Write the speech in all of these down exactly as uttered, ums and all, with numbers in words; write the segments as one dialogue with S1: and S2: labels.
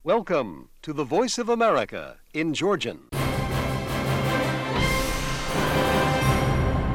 S1: Welcome to the Voice of America in Georgian.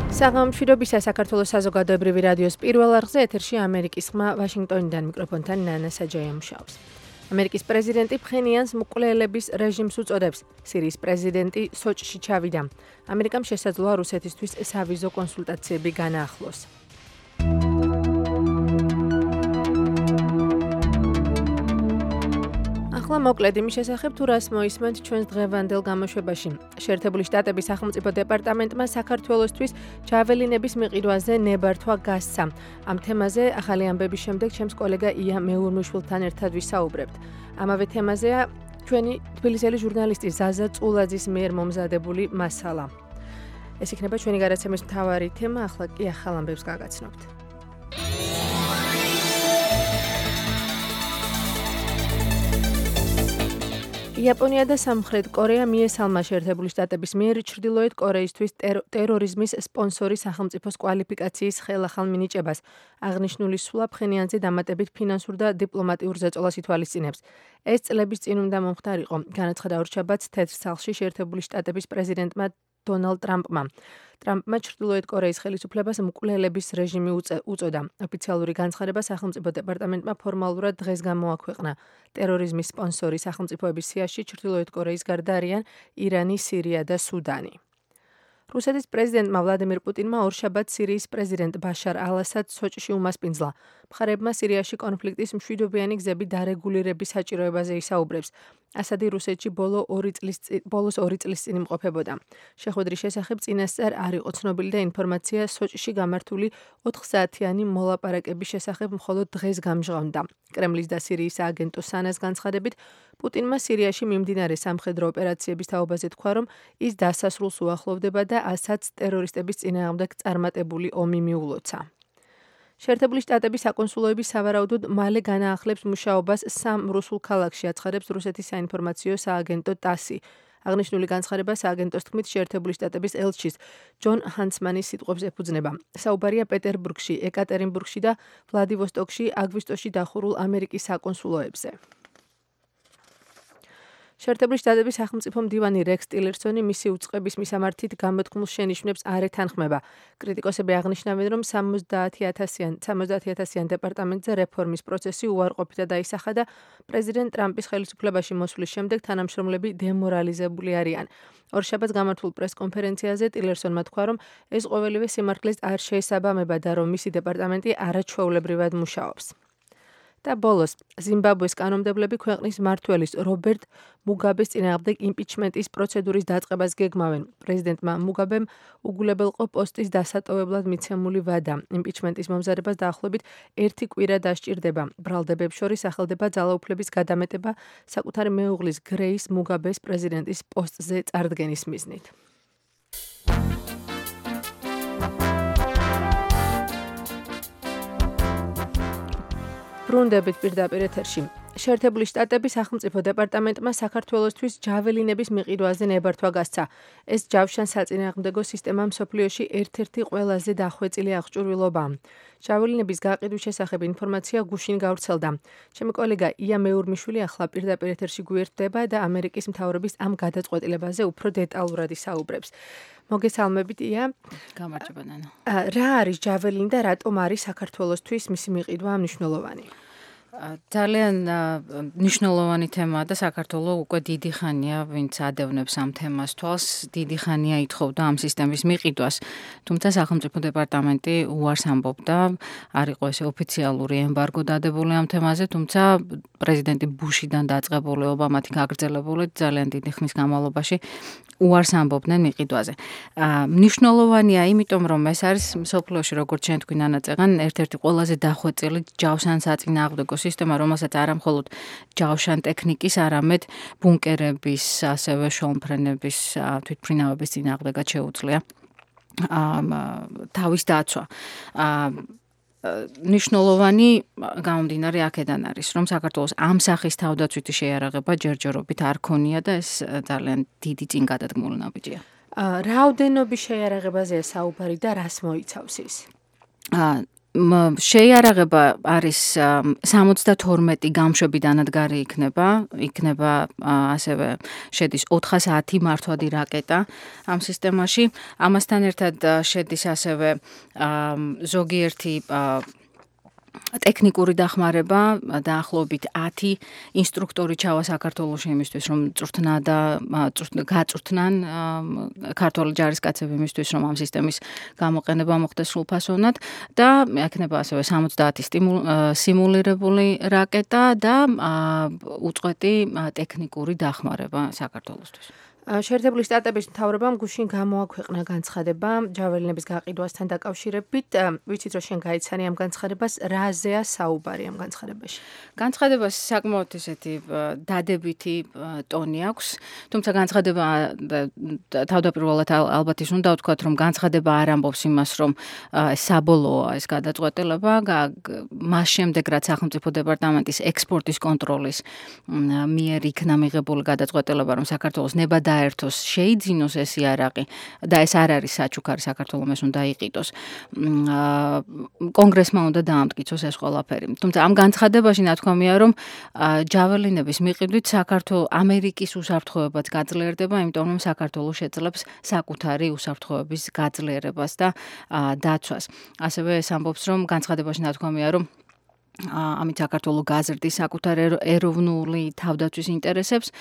S2: საღამოშვიდობისა საქართველოს საზოგადოებრივი რადიოს პირველ არხზე ეთერში ამერიკის ხმა ვაშინგტონიდან მიკროფონთან ნანა საჯაია მუშაობს. ამერიკის პრეზიდენტი ფხენიანს მკვლელების რეჟიმს უწოდებს. სირიის პრეზიდენტი სოჭში ჩავიდა. ამერიკამ შესაძლოა რუსეთისთვის სავიზო კონსულტაციები განაახლოს. ახლა მოკლედ იმის შესახებ თუ რას მოისმენთ ჩვენს დღევანდელ გამოშვებაში. შეერთებული შტატების სახელმწიფო დეპარტამენტმა საქართველოსთვის ჯაველინების მიყიდვაზე ნებართვა გასცა. ამ თემაზე ახალი ამბების შემდეგ ჩემს კოლეგა ია მეურმიშვილთან ერთად ვისაუბრებთ. ამავე თემაზეა ჩვენი თბილისელი ჟურნალისტი ზაზა წულაძის მიერ მომზადებული მასალა. ეს იქნება ჩვენი გადაცემის მთავარი თემა, ახლა კი ახალ ამბებს გაგაცნობთ. იაპონია და სამხრეთ კორეა მიესალმა შეერთებული შტატების მიერ ჩრდილოეთ კორეისთვის ტერორიზმის სპონსორის სახელმწიფოს კვალიფიკაციის ხელახალ მინიჭებას. აღნიშნული სვლა ფხენიანზე დამატებით ფინანსურ და დიპლომატიურ ზეწოლას ითვალისწინებს. ეს წლების წინ უნდა მომხდარიყო, განაცხადა ორშაბათს თეთრ სახლში შეერთებული შტატების პრეზიდენტმა დონალდ ტრამპმა. ტრამპმა ჩრდილოეთ კორეის ხელისუფლებას მკვლელების რეჟიმი უწოდა. ოფიციალური განცხადება სახელმწიფო დეპარტამენტმა ფორმალურად დღეს გამოაქვეყნა. ტერორიზმის სპონსორი სახელმწიფოების სიაში ჩრდილოეთ კორეის გარდა არიან ირანი, სირია და სუდანი. რუსეთის პრეზიდენტმა ვლადიმირ პუტინმა ორშაბათს სირიის პრეზიდენტ ბაშარ ალ-ასადს სოჭში უმასპინძლა. მხარეებმა სირიაში კონფლიქტის მშვიდობიანი გზები დარეგულირების საჭიროებაზე ისაუბრებს. ასადი რუსეთში ბოლო ორი წლის ბოლოს ორი წლის წინ იმყოფებოდა. შეხვედრის შესახებ წინასწარ არ იყო ცნობილი და ინფორმაცია სოჭში გამართული ოთხ საათიანი მოლაპარაკების შესახებ მხოლოდ დღეს გამჟღავნდა. კრემლის და სირიის სააგენტო სანას განცხადებით, პუტინმა სირიაში მიმდინარე სამხედრო ოპერაციების თაობაზე თქვა, რომ ის დასასრულს უახლოვდება და ასადს ტერორისტების წინააღმდეგ წარმატებული ომი მიულოცა. შეერთებული შტატების საკონსულოები სავარაუდოდ მალე განაახლებს მუშაობას სამ რუსულ ქალაქში, აცხადებს რუსეთის საინფორმაციო სააგენტო ტასი. აღნიშნული განცხადება სააგენტოს თქმით შეერთებული შტატების ელჩის ჯონ ჰანსმანის სიტყვებს ეფუძნება. საუბარია პეტერბურგში, ეკატერინბურგში და ვლადივოსტოკში აგვისტოში დახურულ ამერიკის საკონსულოებზე. შეერთებული შტატების სახელმწიფო მდივანი რექს ტილერსონი მისი უწყების მისამართით გამოთქმულ შენიშვნებს არ ეთანხმება. კრიტიკოსები აღნიშნავენ, რომ სამოცდაათი ათასიან დეპარტამენტზე რეფორმის პროცესი უარყოფითად აისახა და პრეზიდენტ ტრამპის ხელისუფლებაში მოსვლის შემდეგ თანამშრომლები დემორალიზებული არიან. ორშაბათს გამართულ პრესკონფერენციაზე ტილერსონმა თქვა, რომ ეს ყოველივე სიმართლეს არ შეესაბამება და რომ მისი დეპარტამენტი არაჩვეულებრივად მუშაობს. და ბოლოს, ზიმბაბვეს კანონმდებლები ქვეყნის მმართველის რობერტ მუგაბეს წინააღმდეგ იმპიჩმენტის პროცედურის დაწყებას გეგმავენ. პრეზიდენტმა მუგაბემ უგულებელყო პოსტის დასატოვებლად მიცემული ვადა. იმპიჩმენტის მომზადებას დაახლოებით ერთი კვირა დასჭირდება. ბრალდებებს შორის სახელდება ძალაუფლების გადამეტება საკუთარი მეუღლის გრეის მუგაბეს პრეზიდენტის პოსტზე წარდგენის მიზნით. ბრუნდებით პირდაპირ ეთერში. შეერთებული შტატების სახელმწიფო დეპარტამენტმა საქართველოსთვის ჯაველინების მიყიდვაზე ნებართვა გასცა. ეს ჯავშან-საწინააღმდეგო სისტემა მსოფლიოში ერთ-ერთი ყველაზე დახვეწილი აღჭურვილობაა. ჯაველინების გაყიდვის შესახებ ინფორმაცია გუშინ გავრცელდა. ჩემი კოლეგა ია მეურმიშვილი ახლა პირდაპირ ეთერში გვერდება და ამერიკის მთავრობის ამ გადაწყვეტილებაზე უფრო დეტალურად ისაუბრებს. მოგესალმებით ია.
S3: გამარჯობა ნანა.
S2: რა არის ჯაველინი და რატომ არის საქართველოსთვის მისი მიყიდვა მნიშვნელოვანი?
S3: ძალიან მნიშვნელოვანი თემაა და საქართველოს უკვე დიდი ხანია ვინც ადევნებს ამ თემას თვალს, დიდი ხანია ითხოვდა ამ სისტემის მიყიდვას. თუმცა სახელმწიფო დეპარტამენტი უარს ამბობდა, არ იყო ესე ოფიციალური ემბარგო დადებული ამ თემაზე, თუმცა პრეზიდენტი ბუშიდან დაწყებული ობამათი გაგრძელებული ძალიან დიდი ხნის განმავლობაში უარს ამბობდნენ მიყიდვაზე. მნიშვნელოვანია, იმიტომ რომ ეს არის მსოფლიოში, როგორც ჩვენ თქვი ნანა წეღან, ერთ-ერთი ყველაზე დახვეწილი ჯავშან-საწინააღმდეგო სისტემა, რომელსაც არა მხოლოდ ჯავშან ტექნიკის, არამედ ბუნკერების, ასევე შუამფრენების, თვითმფრინავების წინააღმდეგაც შეუძლია თავის დაცვა. ნიშნულოვანი გამომდინარე აქედან არის, რომ საქართველოს ამ სახის თავდაცვითი შეიარაღება ჯერჯერობით არ ქონია და ეს ძალიან დიდი წინგადადგმული ნაბიჯია.
S2: რაოდენობის შეიარაღებაზეა საუბარი და რას მოიცავს ის?
S3: შეიარაღება არის სამოცდათორმეტი გამშვებიდანად გარი იქნება, იქნება ასევე შედის ოთხასი მართვადი რაკეტა ამ სისტემაში. ამასთან ერთად შედის ასევე ზოგიერთი ტექნიკური დახმარება, დაახლოებით ათი ინსტრუქტორი ჩავა საქართველოში იმისთვის, რომ წვრთნა და გაწვრთნან ქართველი ჯარისკაცები იმისთვის, რომ ამ სისტემის გამოყენება მოხდეს სრულფასოვნად და ექნება ასევე სამოცდაათი სიმულირებული რაკეტა და უწყვეტი ტექნიკური დახმარება საქართველოსთვის.
S2: შეერთებული შტატების მთავრობამ გუშინ გამოაქვეყნა განცხადება ჯაველინების გაყიდვასთან დაკავშირებით. ვიცით, რომ შენ გაიცანი ამ განცხადებას, რაზეა საუბარი ამ განცხადებაში?
S3: განცხადებას საკმაოდ ისეთი დადებითი ტონი აქვს, თუმცა განცხადება თავდაპირველად ალბათ ის უნდა ვთქვათ, რომ განცხადება არ ამბობს იმას, რომ საბოლოოა ეს გადაწყვეტილება, მას შემდეგ რაც სახელმწიფო დეპარტამენტის ექსპორტის კონტროლის მიერ იქნა მიღებული გადაწყვეტილება, რომ საქართველოს ნება დაერთოს, შეიძინოს ეს იარაღი და ეს არ არის საჩუქარი საქართველოს ეს უნდა იყიდოს. კონგრესმა უნდა დაამტკიცოს ეს ყველაფერი. თუმცა ამ განცხადებაში ნათქვამია, რომ ჯაველინების მიყიდვით საქართველოს ამერიკის უსაფრთხოებაც გაძლიერდება, იმიტომ რომ საქართველოს შეძლებს საკუთარი უსაფრთხოების გაძლიერებას და დაცვას. ასევე ეს ამბობს, რომ განცხადებაში ნათქვამია, რომ ამით საქართველოს გაზრდის საკუთარ ეროვნული თავდაცვის ინტერესებს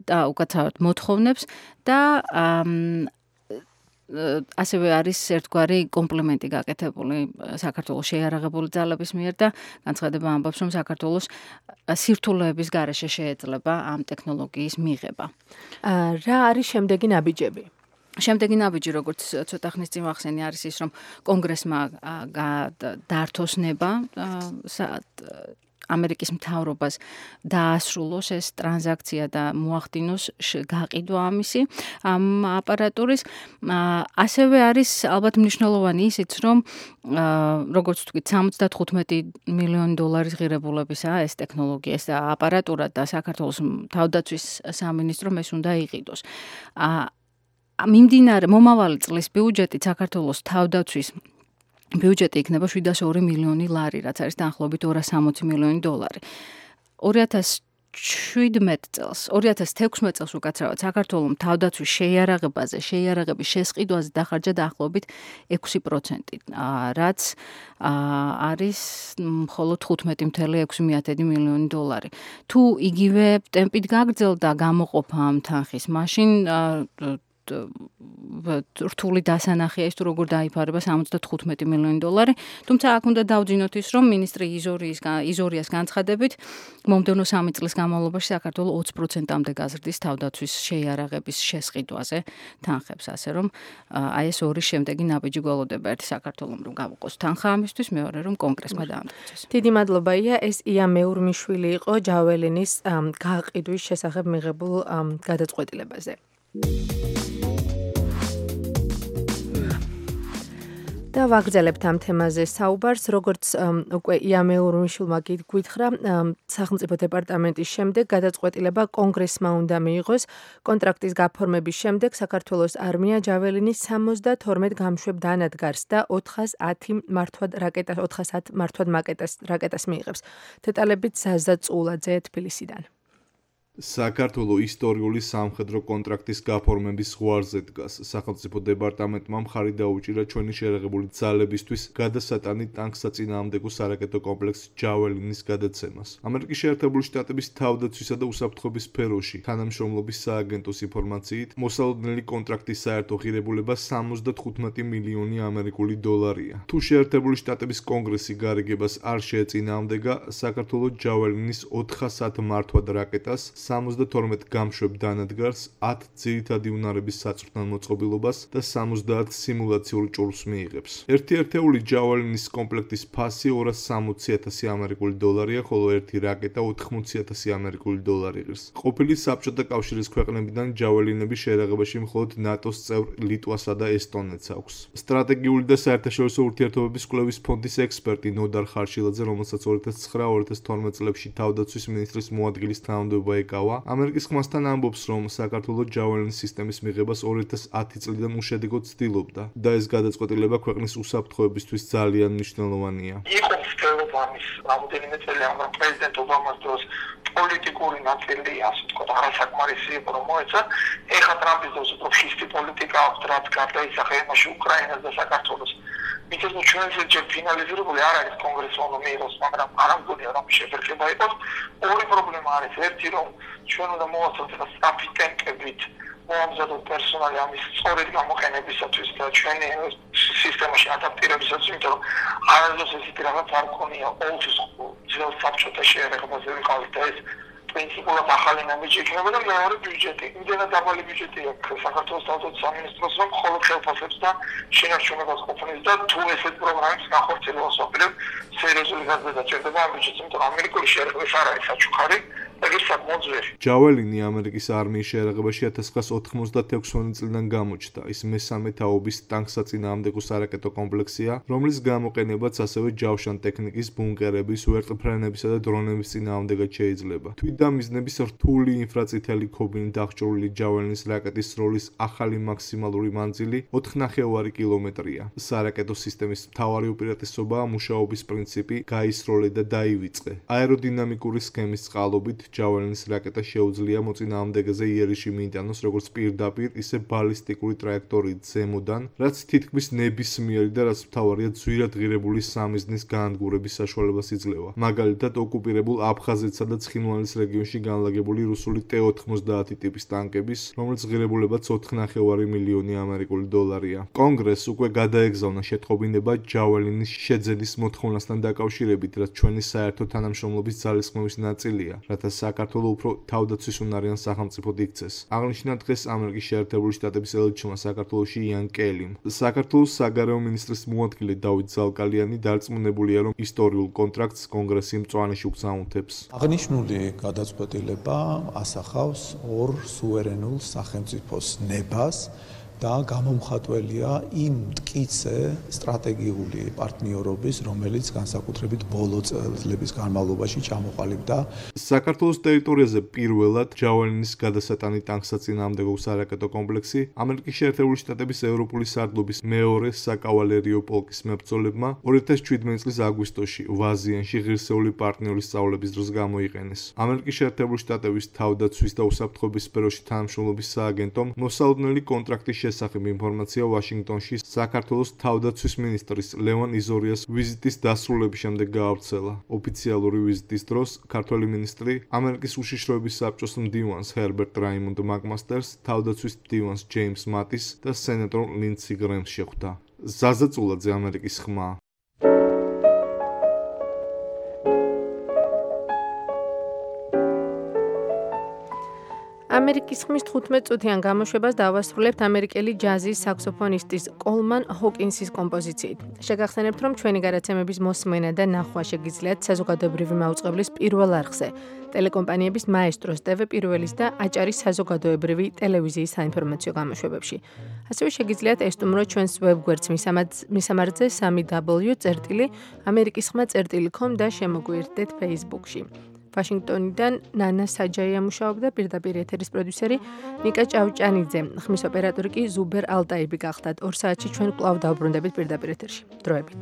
S3: და უკაცრავად მოთხოვნებს და ასევე არის ერთგვარი კომპლიმენტი გაკეთებული საქართველოს შეიარაღებული ძალების მიერ და განცხადება ამბობს, რომ საქართველოს სირთულეების გარეშე შეეძლება ამ ტექნოლოგიის მიღება.
S2: რა არის შემდეგი ნაბიჯები?
S3: შემდეგი ნაბიჯი, როგორც ცოტა ხნის წინ ვახსენე, არის ის, რომ კონგრესმა დართოს ნება ამერიკის მთავრობას დაასრულოს ეს ტრანზაქცია და მოახდინოს გაყიდვა ამისი ამ აპარატურის. ასევე არის ალბათ მნიშვნელოვანი ისიც, რომ როგორც ვთქვით, სამოცდათხუთმეტი მილიონი დოლარის ღირებულებისაა ეს ტექნოლოგია, ეს აპარატურა და საქართველოს თავდაცვის სამინისტრომ ეს უნდა იყიდოს. მიმდინარე მომავალი წლის ბიუჯეტი საქართველოს თავდაცვის ბიუჯეტი იქნება შვიდას ორი მილიონი ლარი, რაც არის დაახლოებით ორას სამოცი მილიონი დოლარი. ორი ათას შვიდმეტ წელს, ორი ათას თექვსმეტ წელს უკაცრავად საქართველოს თავდაცვის შეიარაღებაზე, შეიარაღების შესყიდვაზე დახარჯა დაახლოებით ექვსი პროცენტი, რაც არის მხოლოდ თხუთმეტი მცდელო ექვსი მილიონი დოლარი. თუ იგივე ტემპით გაგრძელდა გამოყოფა ამ თანხის, მაშინ რთული დასანახია ის, თუ როგორ დაიფარება სამოცდათხუთმეტი მილიონი დოლარი. თუმცა აქ უნდა დავძინოთ ის, რომ მინისტრი იზორიას განცხადებით, მომდევნო სამი წლის განმავლობაში საქართველოს ოცი პროცენტამდე გაზრდის თავდაცვის შეიარაღების შესყიდვაზე თანხებს, ასე რომ აი ეს ორი შემდეგი ნაბიჯი გველოდება. ერთი საქართველოს რომ გავუყოს თანხა ამისთვის, მეორე რომ კონგრესმა დაამტკიცოს.
S2: დიდი მადლობა ია, ეს ია მეურმიშვილი იყო ჯაველინის გაყიდვის შესახებ მიღებულ გადაწყვეტილებაზე. და ვაგრძელებთ ამ თემაზე საუბარს, როგორც უკვე ია მეურმიშვილმა გითხრა, სახელმწიფო დეპარტამენტის შემდეგ გადაწყვეტილება კონგრესმა უნდა მიიღოს. კონტრაქტის გაფორმების შემდეგ საქართველოს არმია ჯაველინის სამოცდათორმეტ გამშვებ დანადგარს და ოთხას ათი მართვად რაკეტას, ოთხას ათი მართვად რაკეტას მიიღებს. დეტალებით ზაზა წულაძე თბილისიდან.
S4: საქართველოს ისტორიული სამხედრო კონტრაქტის გაფორმების ზღვარზე დგას. სახელმწიფო დეპარტამენტმა მხარი დაუჭირა ჩვენი შეიარაღებული ძალებისთვის გადასატანი ტანკსაწინააღმდეგო სარაკეტო კომპლექს ჯაველინის გადაცემას. ამერიკის შეერთებული შტატების თავდაცვისა და უსაფრთხოების სფეროში თანამშრომლობის სააგენტოს ინფორმაციით, მოსალოდნელი კონტრაქტის საერთო ღირებულება სამოცდათხუთმეტი მილიონი ამერიკული დოლარია. თუ შეერთებული შტატების კონგრესი გარიგებას არ შეეწინააღმდეგა, საქართველოს ჯაველინის ოთხას ათი მართვად რაკეტას სამოცდათორმეტ გამშვებ დანადგარს, ათი ძირითადი უნარების საწვრთნელ მოწყობილობას და სამოცდაათი სიმულაციურ ჭურვს მიიღებს. ერთი ერთეული ჯაველინის კომპლექტის ფასი ორას სამოცი ათასი ამერიკული დოლარია, ხოლო ერთი რაკეტა ოთხმოცი ათასი ამერიკული დოლარი ღირს. ყოფილი საბჭოთა კავშირის ქვეყნებიდან ჯაველინების შეიარაღებაში მხოლოდ ნატოს წევრ ლიტვასა და ესტონეთს აქვს. სტრატეგიული და საერთაშორისო ურთიერთობების კვლევის ფონდის ექსპერტი ნოდარ ხარშილაძე, რომელსაც ორი ათას ცხრა ორი ათას თორმეტ წლებში თავდაცვის მინისტრის მოადგილის თანამდებობა ეკავა, დავა, ამერიკის ხმასთან ამბობს, რომ საქართველოს ჯაველინის სისტემის მიღებას ორი ათას ათი წლიდან უშედეგოდ ცდილობდა და ეს გადაწყვეტილება ქვეყნის უსაფრთხოებისთვის ძალიან მნიშვნელოვანია.
S5: იყო მცდელობა მის რამოდენიმე წელი ამ პრეზიდენტ ობამას დროს პოლიტიკური ნაწილი, ასე ვთქვათ, არასაკმარისი იყო რომ მოეცა. ეხლა ტრამპის დროს უფრო ფშისტი პოლიტიკა აქვს, რაც გარდაიცახა იმაში უკრაინას და საქართველოს. მითხრა რომ ჩვენ ეს ფინალიზირებული არ არის კონგრესმა უნდა მიიღოს, მაგრამ არ ამგონია რომ შეფერხება იყოს. ორი პრობლემა არის. ერთი რომ ჩვენ უნდა მოვაცოთ რა სწრაფი ტემპებით მომზადოთ პერსონალი ამის სწორედ გამოყენებისათვის და ჩვენი სისტემაში ადაპტირებისათვის, იმიტომ რომ არასდროს ესეთი რაღაც არ ქონია ყოველთვის ძველ საბჭოთა შეერაღებაზე ვიყავით და ეს პრინციპულად ახალი ნაბიჯი იქნება და მეორე ბიუჯეტი. იმდენად დაბალი ბიუჯეტი აქვს საქართველოს თავდაცვის სამინისტროს, რომ მხოლოდ ხელფასებს და შენარჩუნებას ყოფნის და თუ ესეთ პროგრამებს განხორციელებას ვაპირებ, სერიოზული გაზრდა ჭირდება ამ ბიუჯეტს, იმიტომ რომ ამერიკული შეერაღების არ არის საჩუქარი.
S4: ჯაველინი ამერიკის არმიის შეერაღებაში ათას ცხრაას ოთხმოცდაექვსი წლიდან გამოჩნდა. ის მესამე თაობის ტანკსაწინააღმდეგო სარაკეტო კომპლექსია, რომლის გამოყენებაც ასევე ჯავშან ტექნიკის, ბუნკერების, ვერტმფრენებისა და დრონების წინააღმდეგად შეიძლება. თვით და მიზნების რთული ინფრაწითელი ქობინით აღჭურვილი ჯაველინის რაკეტის სროლის ახალი მაქსიმალური მანძილი ოთხ ნახევარი კილომეტრია. სარაკეტო სისტემის მთავარი უპირატესობაა მუშაობის პრინციპი გაისროლე და დაივიწყე. აეროდინამიკური სქემის წყალობით ჯაველინის რაკეტა შეუძლია მოწინააღმდეგეზე იერიში მიიტანოს როგორც პირდაპირ, ისე ბალისტიკური ტრაექტორიით ზემოდან, რაც თითქმის ნებისმიერი და რაც მთავარია ძვირად ღირებული სამიზნის გაანადგურების საშუალებას იძლევა. მაგალითად, ოკუპირებულ აფხაზეთსა და ცხინვალის რეგიონში განლაგებული რუსული ტე ოთხმოცდაათი ტიპის ტანკების, რომლის ღირებულებაც ოთხ ნახევარი მილიონი ამერიკული დოლარია. კონგრესს უკვე გადაეგზავნა შეტყობინება ჯაველინის შეძენის მოთხოვნასთან დაკავშირებით, რაც ჩვენი საერთო თანამშრომლობის ძალისხმევის ნაწილია, რათა საქართველოს უფრო თავდაცვის უნარიან სახელმწიფოდ იქცეს. აღნიშნა დღეს ამერიკის შეერთებული შტატების ელჩმა საქართველოში იან კელიმ. საქართველოს საგარეო მინისტრის მოადგილე დავით ზალკალიანი დარწმუნებულია, რომ ისტორიულ კონტრაქტს კონგრესი მწვანეში უგზავნებს.
S6: აღნიშნული გადაწყვეტილება ასახავს ორ სუვერენულ სახელმწიფოს ნებას და გამომხატველია იმ მტკიცე სტრატეგიული პარტნიორობის, რომელიც განსაკუთრებით ბოლო წლების განმავლობაში ჩამოყალიბდა.
S4: საქართველოს ტერიტორიაზე პირველად ჯაველინის გადასატანი ტანკსაწინააღმდეგო სარაკეტო კომპლექსი ამერიკის შეერთებული შტატების ევროპული სარდლობის მეორე საკავალერიო პოლკის მებრძოლებმა ორი ათას შვიდმეტი წლის აგვისტოში ვაზიანში ღირსეული პარტნიორის სწავლების დროს გამოიყენეს. ამერიკის შეერთებული შტატების თავდაცვის და უსაფრთხოების სფეროში თანამშრომლობის სააგენტომ მოსალოდნელი კონტრაქტის შესახებ ინფორმაცია ვაშინგტონში საქართველოს თავდაცვის მინისტრის ლევან იზორიას ვიზიტის დასრულების შემდეგ გაავრცელა. ოფიციალური ვიზიტის დროს ქართველი მინისტრი ამერიკის უშიშროების საბჭოს მდივანს ჰერბერტ რაიმონდ მაკმასტერს, თავდაცვის მდივანს ჯეიმს მატის და სენატორ ლინდსი გრემს შეხვდა. ზაზა წულაძე, ამერიკის ხმა.
S2: ამერიკის ხმის თხუთმეტ წუთიან გამოშვებას დავასრულებთ ამერიკელი ჯაზის საქსოფონისტის კოლმან ჰოკინსის კომპოზიციით. შეგახსენებთ, რომ ჩვენი გადაცემების მოსმენა და ნახვა შეგიძლიათ საზოგადოებრივი მაუწყებლის პირველ არხზე, ტელეკომპანიების მაესტროს, ტევ პირველის და აჭარის საზოგადოებრივი ტელევიზიის საინფორმაციო გამოშვებებში. ასევე შეგიძლიათ ესტუმროთ ჩვენს ვებგვერდს მისამართზე სამი დაბლიუ წერტილი ამერიკის ხმა წერტილი com და შემოგვიერთდეთ Facebook-ში. ვაშინგტონიდან ნანა საჯაია მუშაობდა, პირდაპირ ეთერის პროდიუსერი ნიკა ჭავჭანიძე, ხმის ოპერატორი კი ზუბერ ალტაიბი გახდათ. ორ საათში ჩვენ კვლავ დავბრუნდებით პირდაპირ ეთერში. დროებით.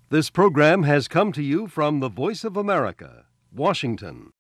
S1: This program has come to you from the Voice of America, Washington.